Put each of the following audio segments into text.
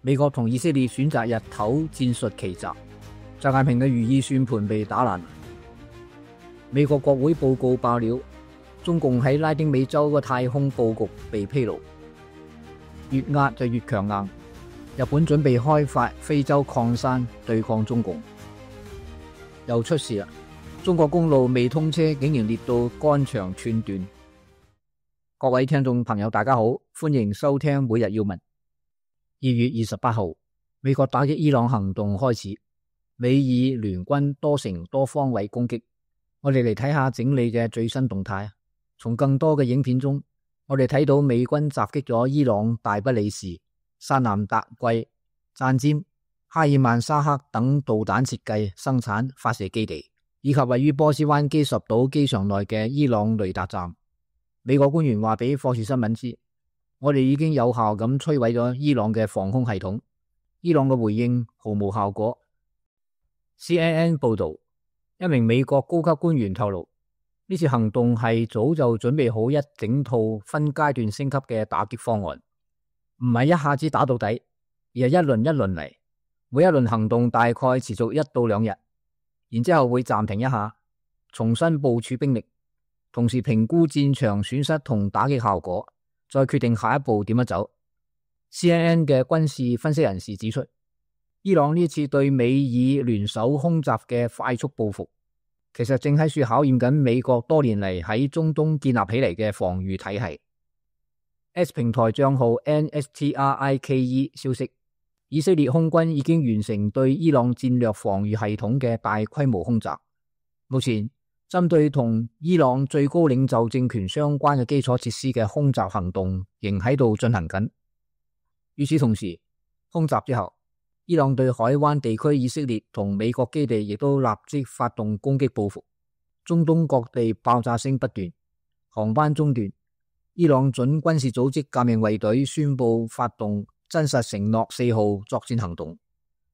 美國同以色列選擇日頭戰術奇襲，習近平嘅如意算盤被打爛。美國國會報告爆料，中共喺拉丁美洲嘅太空佈局被披露，越壓就越強硬。日本準備開發非洲礦山對抗中共，又出事啦！中國公路未通車，竟然列到肝腸寸斷。各位聽眾朋友，大家好，歡迎收聽每日要聞。2月28號，美國打擊伊朗行動開始，美以聯軍多城多方位攻擊。我哋嚟睇下整理嘅最新動態。從更多嘅影片中，我哋睇到美軍襲擊咗伊朗大不里士、薩南達貴、贊尖、哈爾曼沙克等導彈設計、生產、發射基地，以及位於波斯灣基什島機場內嘅伊朗雷達站。美國官員話俾霍士新聞知，我哋已經有效咁摧毀咗伊朗嘅防空系統。伊朗嘅回應毫無效果。CNN 報道，一名美國高級官員透露，呢次行動係早就準備好一整套分階段升級嘅打擊方案，唔係一下子打到底，而係一輪一輪嚟。每一輪行動大概持續1到2日，然之後會暫停一下，重新部署兵力，同時評估戰場損失同打擊效果，再決定下一步點樣走。CNN 嘅軍事分析人士指出，伊朗呢次對美以聯手空襲嘅快速報復，其實正喺處考驗緊美國多年嚟喺中東建立起嚟嘅防禦體系。X 平台賬號 NSTRIKE 消息，以色列空軍已經完成對伊朗戰略防禦系統嘅大規模空襲。目前針對同伊朗最高領袖政權相關嘅基礎設施嘅空襲行動仍喺度進行緊。與此同時，空襲之後，伊朗對海灣地區以色列同美國基地亦都立即發動攻擊報復。中東各地爆炸聲不斷，航班中斷。伊朗準軍事組織革命衛隊宣布發動真實承諾4號作戰行動，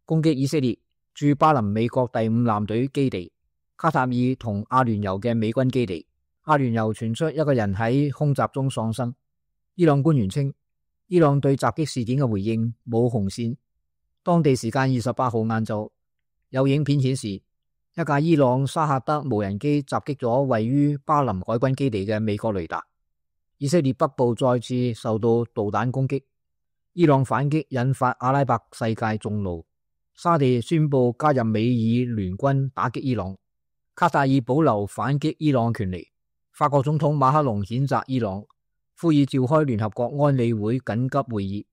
攻擊以色列駐巴林美國第5艦隊基地、卡塔爾同阿聯酋嘅美軍基地。阿聯酋傳出一個人喺空襲中喪生。伊朗官員稱，伊朗對襲擊事件嘅回應冇紅線。當地時間28號晏晝，有影片顯示一架伊朗沙赫德無人機襲擊咗位於巴林海軍基地嘅美國雷達。以色列北部再次受到導彈攻擊，伊朗反擊引發阿拉伯世界眾怒。沙地宣布加入美以聯軍打擊伊朗，卡塔爾保留反擊伊朗權利。法國總統馬克龍譴責伊朗，呼籲召開聯合國安理會緊急會議，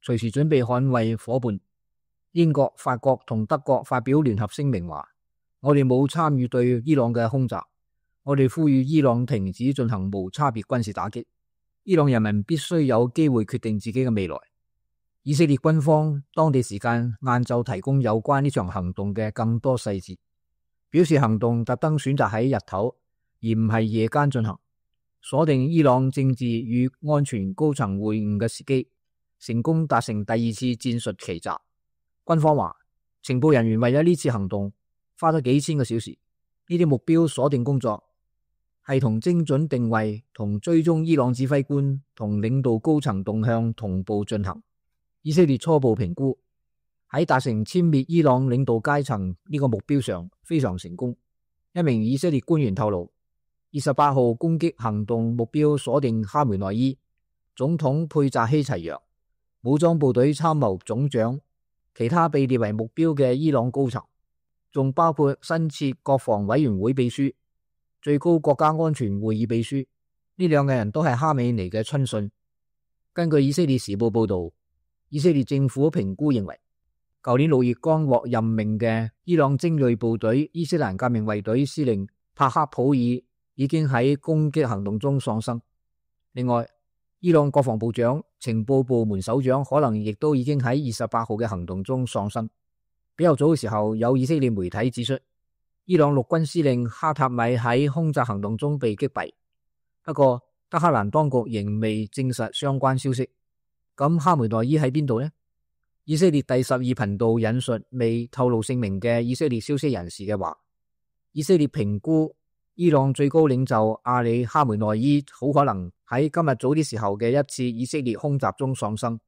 隨時準備捍衛伙伴。英國、法國同德國發表聯合聲明話，我哋冇參與對伊朗嘅空襲，我哋呼籲伊朗停止進行無差別軍事打擊。伊朗人民必須有機會決定自己嘅未來。以色列軍方當地時間晏晝提供有關呢場行動嘅更多細節，表示行動特登選擇喺日頭而唔係夜間進行，鎖定伊朗政治與安全高層會晤嘅時機，成功達成第2次戰術奇襲。軍方話，情報人員為咗呢次行動花咗幾千個小時，呢啲目標鎖定工作係同精準定位同追蹤伊朗指揮官同領導高層動向同步進行。以色列初步評估喺達成殲滅伊朗領導階層呢個目標上非常成功。一名以色列官員透露，28號攻擊行動目標鎖定哈梅內伊、總統佩扎希齊揚、武裝部隊參謀總長、其他被列為目標嘅伊朗高層，仲包括新設國防委員會秘書、最高國家安全會議秘書。呢2個人都係哈美尼嘅親信。根據以色列時報報道，以色列政府評估認為，舊年6月剛獲任命嘅伊朗精銳部隊伊斯蘭革命衛隊司令帕克普爾已經喺攻擊行動中喪生。另外，伊朗國防部長、情報部門首長可能亦都已經喺28號嘅行動中喪生。比較早嘅時候，有以色列媒體指出，伊朗陸軍司令哈塔米喺空襲行動中被擊斃。不過，德黑蘭當局仍未證實相關消息。咁哈梅內伊喺邊度呢？以色列第12頻道引述未透露姓名嘅以色列消息人士嘅話，以色列評估伊朗最高領袖阿里哈梅內伊好可能喺今日早啲時候嘅一次以色列空襲中喪生。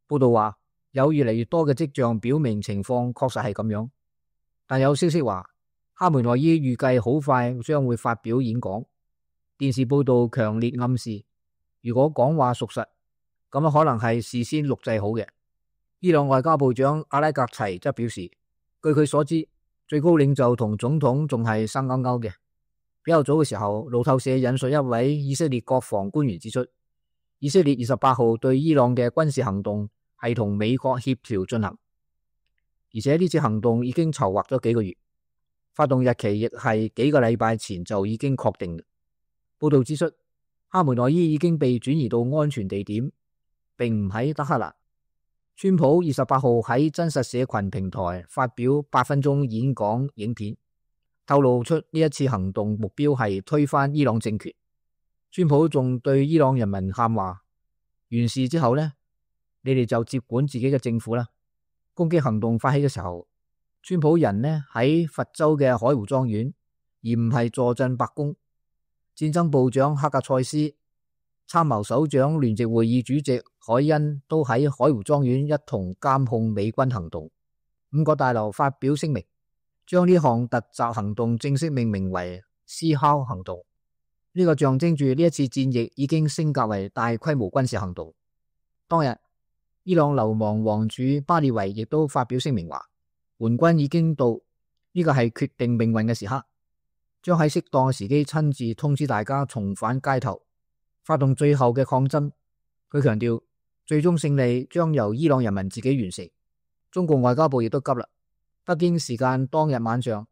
報道話，有越嚟越多嘅跡象表明情況確實係咁樣，但有消息話哈梅內伊預計好快將會發表演講。電視報道強烈暗示，如果講話屬實，咁可能係事先錄製好嘅。伊朗外交部長阿拉格齊則表示，據佢所知，最高領袖同總統仲係生勾勾嘅。比較早嘅時候，路透社引述一位以色列國防官員指出，以色列28號對伊朗嘅軍事行動係同美國協調進行，而且呢次行動已經籌劃咗幾個月，發動日期亦係幾個禮拜前就已經確定。報道指出，哈梅內伊已經被轉移到安全地點，並唔喺德黑蘭。川普28號喺真實社群平台發表8分鐘演講影片，透露出呢一次行動目標係推翻伊朗政權。川普仲對伊朗人民喊話，完事之後呢，你哋就接管自己嘅政府啦。攻擊行動發起嘅時候，川普人呢喺佛州嘅海湖莊園，而唔係坐鎮白宮。戰爭部長克格塞斯、參謀首長聯席會議主席海恩都喺海湖莊園一同監控美軍行動。5個大樓發表聲明，將呢項突襲行動正式命名為思考行動。呢個象徵住呢一次戰役已經升格為大規模軍事行動。當日，伊朗流亡王儲巴列維亦都發表聲明話，援軍已經到，呢個係決定命運嘅時刻，將喺適當嘅時機親自通知大家重返街頭，發動最後嘅抗爭。佢強調，最終勝利將由伊朗人民自己完成。中共外交部亦都急啦。北京時間當日晚上，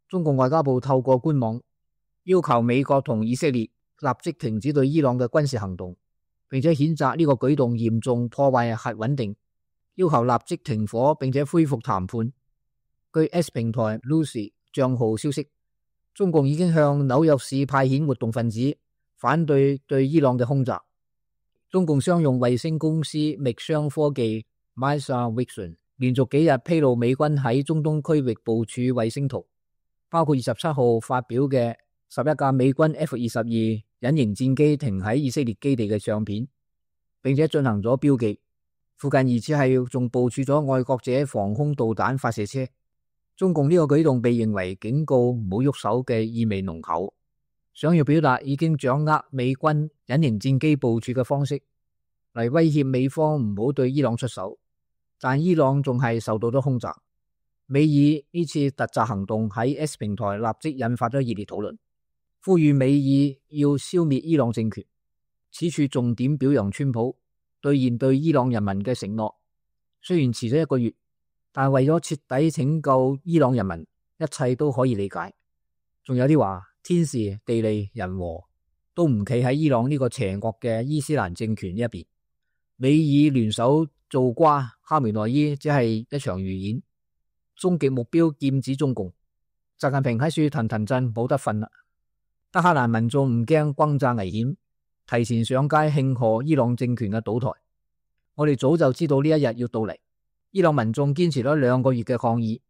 中共外交部透過官網要求美國同以色列立即停止對伊朗嘅軍事行動，並且譴責呢個舉動嚴重破壞核穩定，要求立即停火並且恢復談判。據 S 平台 Lucy 賬號消息，中共已經向紐約市派遣活動分子，反對對伊朗嘅空襲。中共商用衛星公司密商科技 Misa Vision 連續幾日披露美軍喺中東區域部署衛星圖，包括27號發表嘅11架美軍 F-22隱形戰機停喺以色列基地嘅相片，並且進行咗標記。附近疑似係仲部署咗愛國者防空導彈發射車。中共呢個舉動被認為警告唔好喐手嘅意味濃厚，想要表達已經掌握美軍隱形戰機部署嘅方式，嚟威脅美方唔好對伊朗出手。但伊朗仲係受到咗空襲。美以呢次突襲行動喺 S 平台立即引發咗熱烈討論，呼籲美以要消滅伊朗政權。此處重點表揚川普兌現對伊朗人民嘅承諾，雖然遲咗1個月，但為咗徹底拯救伊朗人民，一切都可以理解。仲有啲話天時地利人和都唔企喺伊朗呢個邪惡嘅伊斯蘭政權呢一邊。美以聯手做瓜，哈梅內伊只係一場預演，終極目標劍指中共。習近平喺處騰騰震，冇得瞓啦。德黑蘭民眾唔驚轟炸危險，提前上街慶賀伊朗政權嘅倒台。我哋早就知道呢一日要到嚟。伊朗民眾堅持咗2個月嘅抗議，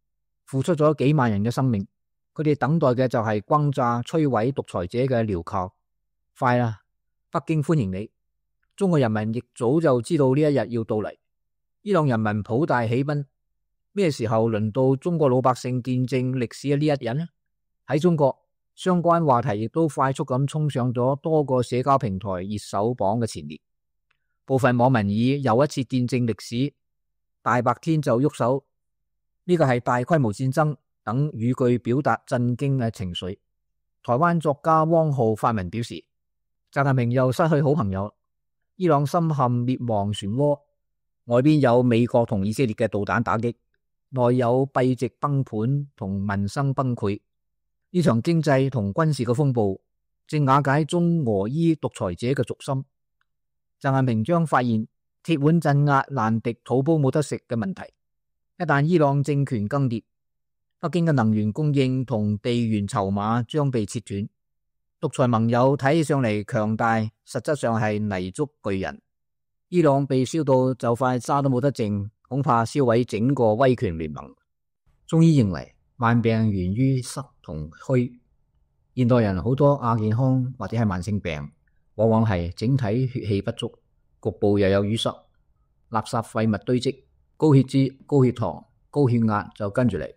付出咗幾萬人嘅生命，佢哋等待嘅就係轟炸摧毀獨裁者嘅鐐銬。快啦，北京歡迎你。中國人民亦早就知道呢一日要到嚟。伊朗人民普大喜奔。咩時候輪到中國老百姓見證歷史嘅呢一日呢？喺中國，相關話題亦都快速咁衝上咗多個社交平台熱搜榜嘅前列。部分網民以又一次見證歷史，大白天就喐手，呢個係大規模戰爭等語句表達震驚嘅情緒。台灣作家汪浩發文表示，習近平又失去好朋友，伊朗深陷滅亡漩渦，外邊有美國同以色列嘅導彈打擊，內有幣值崩盤同民生崩潰。呢場經濟同軍事嘅風暴正瓦解中俄伊獨裁者嘅軸心。習近平將發現鐵腕鎮壓難敵土煲冇得食嘅問題。一旦伊朗政權更迭，北京嘅能源供應同地緣籌碼將被切斷。獨裁盟友睇起上嚟強大，實質上係泥足巨人。伊朗被燒到就快渣都冇得剩，恐怕燒毀整個威權聯盟。中醫認為萬病源於濕同虛，現代人好多亞健康或者係慢性病，往往係整體血氣不足，局部又有淤塞，垃圾廢物堆積，高血脂、高血糖、高血壓就跟住嚟，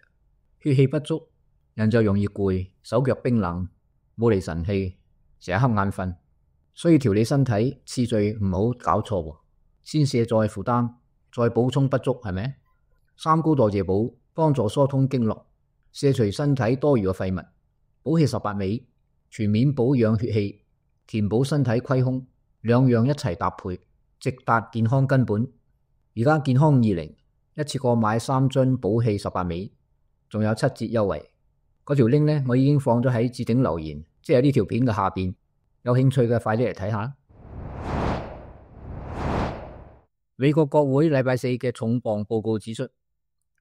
血氣不足，人就容易攰，手腳冰冷，冇嚟神氣，成日瞌眼瞓。所以調理身體次序唔好搞錯喎，先卸載負擔，再補充不足，係咪？三高代謝補幫助疏通經絡，卸除身體多餘嘅廢物，補氣18味，全面保養血氣，填補身體虧空，兩樣一齊搭配，直達健康根本。而家健康20一次過買3樽補氣18味，仲有7折優惠。嗰條 link 呢，我已經放咗喺置頂留言，即係呢條片嘅下邊。有興趣嘅快啲嚟睇下。美國國會禮拜四嘅重磅報告指出，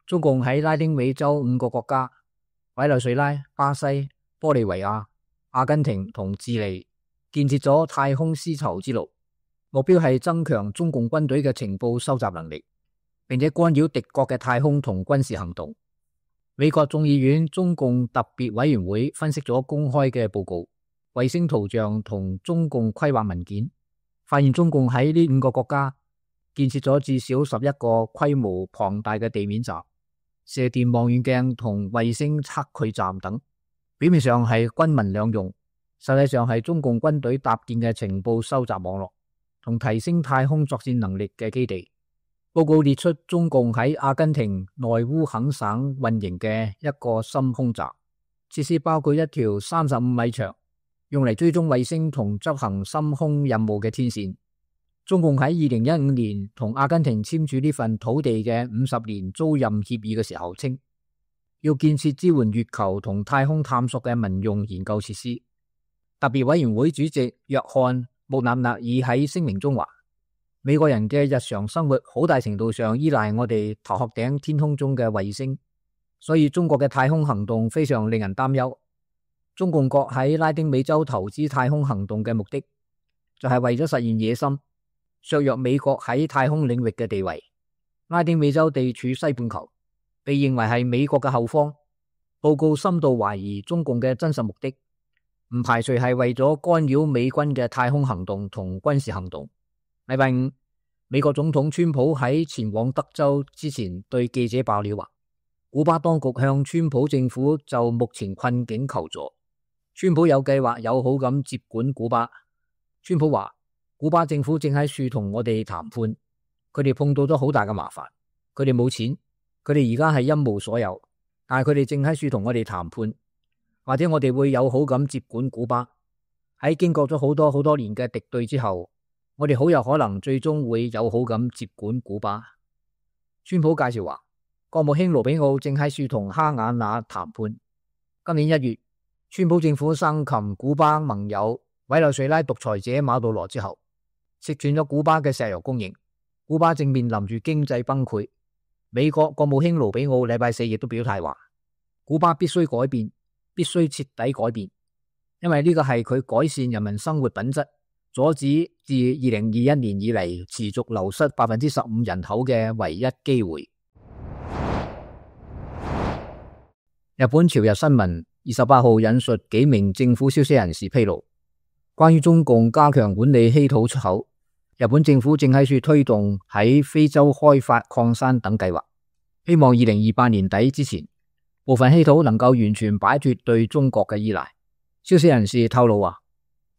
中共喺拉丁美洲5個國家委內瑞拉、巴西、玻利維亞、阿根廷同智利建設咗太空絲綢之路，目標係增強中共軍隊嘅情報收集能力，並且干擾敵國嘅太空同軍事行動。美國眾議院中共特別委員會分析咗公開嘅報告、衛星圖像同中共規劃文件，發現中共喺呢5個國家建設咗至少11個規模龐大嘅地面站、射電望遠鏡同衛星測距站等，表面上係軍民兩用，實際上係中共軍隊搭建嘅情報收集網絡同提升太空作戰能力嘅基地。報告列出中共喺阿根廷內烏肯省運營嘅一個深空站，設施包括一條35米長，用嚟追蹤衛星同執行深空任務嘅天線。中共喺2015年同阿根廷簽署呢份土地嘅50年租賃協議嘅時候稱，要建設支援月球同太空探索嘅民用研究設施。特別委員會主席約翰穆納納爾喺聲明中話，美國人嘅日常生活好大程度上依賴我哋頭殼頂天空中嘅衛星，所以中國嘅太空行動非常令人擔憂。中共國喺拉丁美洲投資太空行動嘅目的，就係為咗實現野心，削弱美國喺太空領域嘅地位。拉丁美洲地處西半球，被認為係美國嘅後方。報告深度懷疑中共嘅真實目的，唔排除係為咗干擾美軍嘅太空行動同軍事行動。禮拜五，美國總統川普喺前往德州之前對記者爆料話，古巴當局向川普政府就目前困境求助。川普有計劃友好咁接管古巴。川普話，古巴政府正喺處同我哋談判，佢哋碰到咗好大嘅麻煩，佢哋冇錢，佢哋而家係一無所有，但係佢哋正喺處同我哋談判，或者我哋會友好咁接管古巴。喺經過咗好多年嘅敵對之後，我哋好有可能最終會友好咁接管古巴。川普介紹話，國務卿盧比奧正喺處同哈瓦那談判。今年1月，川普政府生擒古巴盟友委內瑞拉獨裁者馬杜羅之後，切斷咗古巴嘅石油供應，古巴正面臨住經濟崩潰。美國國務卿盧比奧禮拜四亦都表態話，古巴必須改變，必須徹底改變，因為呢個係佢改善人民生活品質，阻止自2021年以嚟持續流失15%人口嘅唯一機會。日本朝日新聞28號引述幾名政府消息人士披露，關於中共加強管理稀土出口，日本政府正喺處推動喺非洲開發礦山等計劃，希望2028年底之前，部分稀土能夠完全擺脫對中國嘅依賴。消息人士透露話，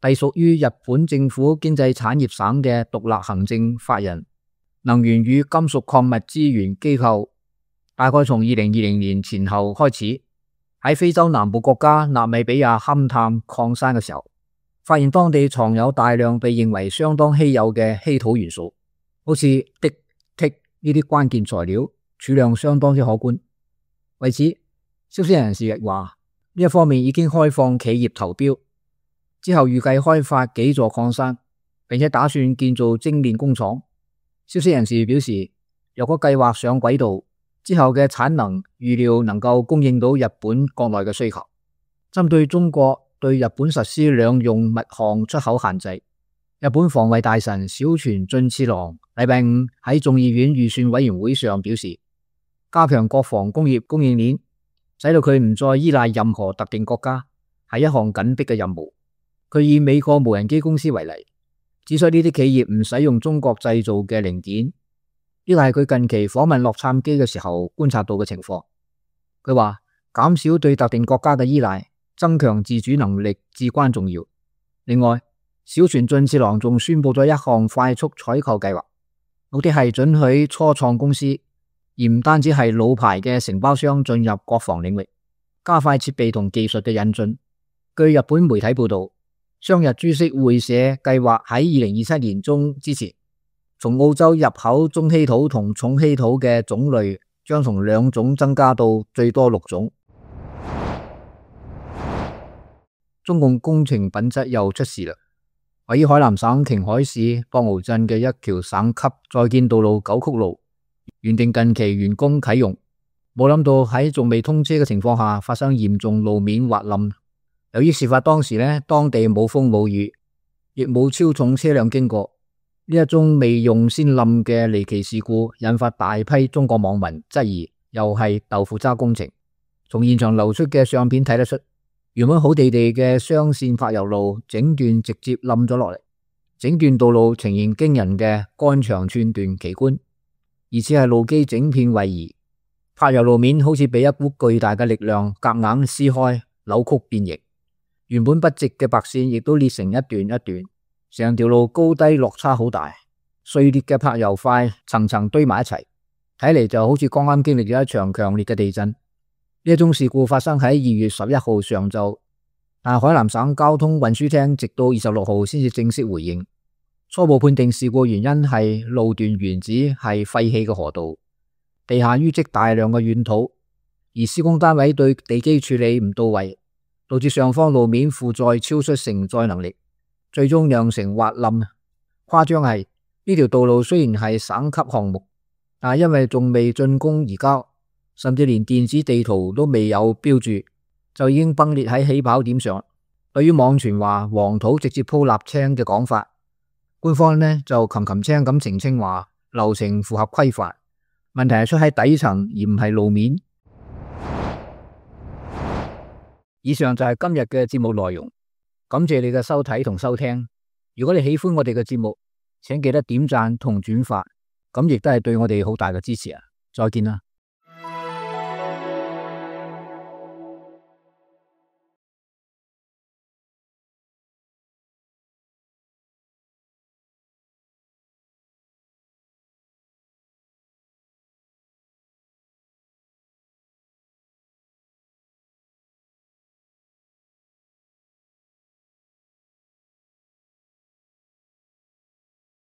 隸屬於日本政府經濟產業省嘅獨立行政法人能源與金屬礦物資源機構，大概從2020年前後開始，喺非洲南部國家納米比亞勘探礦山嘅時候，發現當地藏有大量被認為相當稀有嘅稀土元素，好似銫、銫呢啲關鍵材料，儲量相當之可觀。為此，消息人士亦話，呢一方面已經開放企業投標，之後預計開發幾座礦山，並且打算建造精煉工廠。消息人士表示，若果計劃上軌道，之後嘅產能預料能夠供應到日本國內嘅需求。針對中國對日本實施兩用物項出口限制，日本防衛大臣小泉進次郎禮拜五喺眾議院預算委員會上表示，加強國防工業供應鏈，使到佢唔再依賴任何特定國家，係一項緊迫嘅任務。佢以美國無人機公司為例，指出呢啲企業唔使用中國製造嘅零件，呢個係佢近期訪問洛杉磯嘅時候觀察到嘅情況。佢話減少對特定國家嘅依賴，增強自主能力至關重要。另外，小泉進次郎仲宣布咗一項快速採購計劃，目的係准許初創公司，而唔單止係老牌嘅承包商進入國防領域，加快設備同技術嘅引進。據日本媒體報道，商日株式會社計劃喺2027年中之前，從澳洲入口中稀土同重稀土嘅種類將從2種增加到最多6種。中共工程品質又出事啦！位於海南省瓊海市博鰲鎮嘅一條省級在建道路9曲路，原定近期完工啟用，冇諗到喺仲未通車嘅情況下發生嚴重路面滑冧。由於事發當時當地冇風冇雨，亦冇超重車輛經過，呢一宗未用先冧嘅離奇事故，引發大批中國網民質疑又係豆腐渣工程。從現場流出嘅相片睇得出，原本好地地嘅雙線柏油路整段直接冧咗落嚟，整段道路呈現驚人嘅肝腸寸斷奇觀，而且係路基整片位移，柏油路面好似被一股巨大嘅力量夾硬撕開，扭曲變形。原本不直嘅白線亦都裂成一段一段，成條路高低落差好大，碎裂嘅柏油塊層層堆埋一齊，睇嚟就好似剛啱經歷咗一場強烈嘅地震。呢一宗事故發生喺2月11號上晝，但海南省交通運輸廳直到26號先至正式回應，初步判定事故原因係路段原址係廢棄嘅河道，地下淤積大量嘅軟土，而施工單位對地基處理唔到位，導致上方路面負載超出承載能力，最終釀成滑冧。誇張係呢條道路雖然係省級項目，但係因為仲未竣工移交，甚至連電子地圖都未有標注，就已經崩裂喺起跑點上。對於網傳話黃土直接鋪瀝青嘅講法，官方就擒擒青咁澄清話流程符合規範，問題係出喺底層而唔係路面。以上就係今日嘅節目內容，感謝你嘅收睇同收聽。如果你喜歡我哋嘅節目，請記得點讚同轉發，咁亦都係對我哋好大嘅支持啊！再見啦。